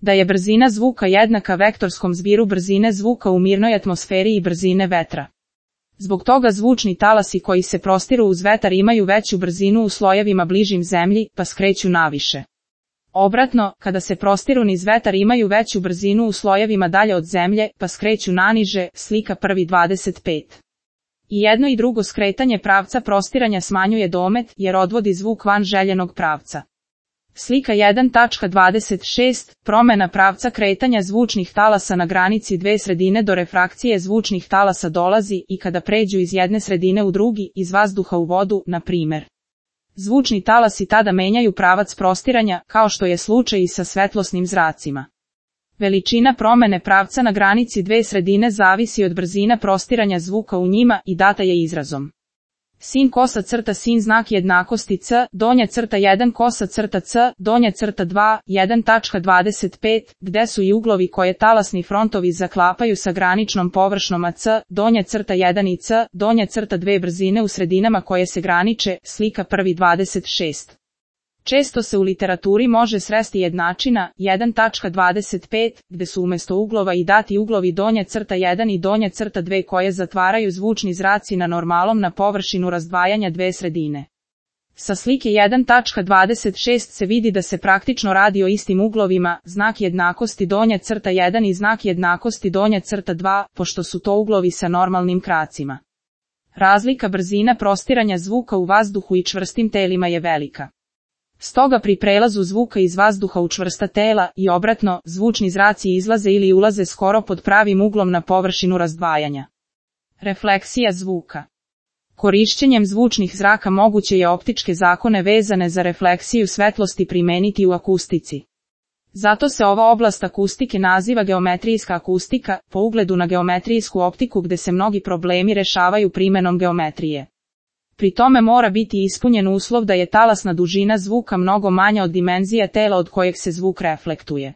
Da je brzina zvuka jednaka vektorskom zbiru brzine zvuka u mirnoj atmosferi i brzine vetra. Zbog toga zvučni talasi koji se prostiru uz vetar imaju veću brzinu u slojevima bližim zemlji, pa skreću naviše. Obratno, kada se prostiru niz vetar imaju veću brzinu u slojevima dalje od zemlje, pa skreću naniže, slika 1.25. I jedno i drugo skretanje pravca prostiranja smanjuje domet, jer odvodi zvuk van željenog pravca. Slika 1.26. Promjena pravca kretanja zvučnih talasa na granici dve sredine. Do refrakcije zvučnih talasa dolazi i kada pređu iz jedne sredine u drugi, iz vazduha u vodu, na primjer. Zvučni talasi tada menjaju pravac prostiranja, kao što je slučaj i sa svetlosnim zracima. Veličina promjene pravca na granici dve sredine zavisi od brzina prostiranja zvuka u njima i data je izrazom. Sin kosa crta sin znak jednakosti c, donja crta 1 kosa crta c, donja crta 2, 1.25, gde su i uglovi koje talasni frontovi zaklapaju sa graničnom površnom AC, donja crta 1 i c, donja crta 2 brzine u sredinama koje se graniče, slika 1.26. Često se u literaturi može sresti jednačina, 1.25, gde su umjesto uglova i dati uglovi donja crta 1 i donja crta 2 koje zatvaraju zvučni zraci na normalom na površinu razdvajanja dve sredine. Sa slike 1.26 se vidi da se praktično radi o istim uglovima, znak jednakosti donja crta 1 i znak jednakosti donja crta 2, pošto su to uglovi sa normalnim kracima. Razlika brzina prostiranja zvuka u vazduhu i čvrstim telima je velika. Stoga pri prelazu zvuka iz vazduha u čvrsta tela i obratno, zvučni zraci izlaze ili ulaze skoro pod pravim uglom na površinu razdvajanja. Refleksija zvuka. Korišćenjem zvučnih zraka moguće je optičke zakone vezane za refleksiju svetlosti primeniti u akustici. Zato se ova oblast akustike naziva geometrijska akustika, po ugledu na geometrijsku optiku gde se mnogi problemi rešavaju primenom geometrije. Pri tome mora biti ispunjen uslov da je talasna dužina zvuka mnogo manja od dimenzija tela od kojeg se zvuk reflektuje.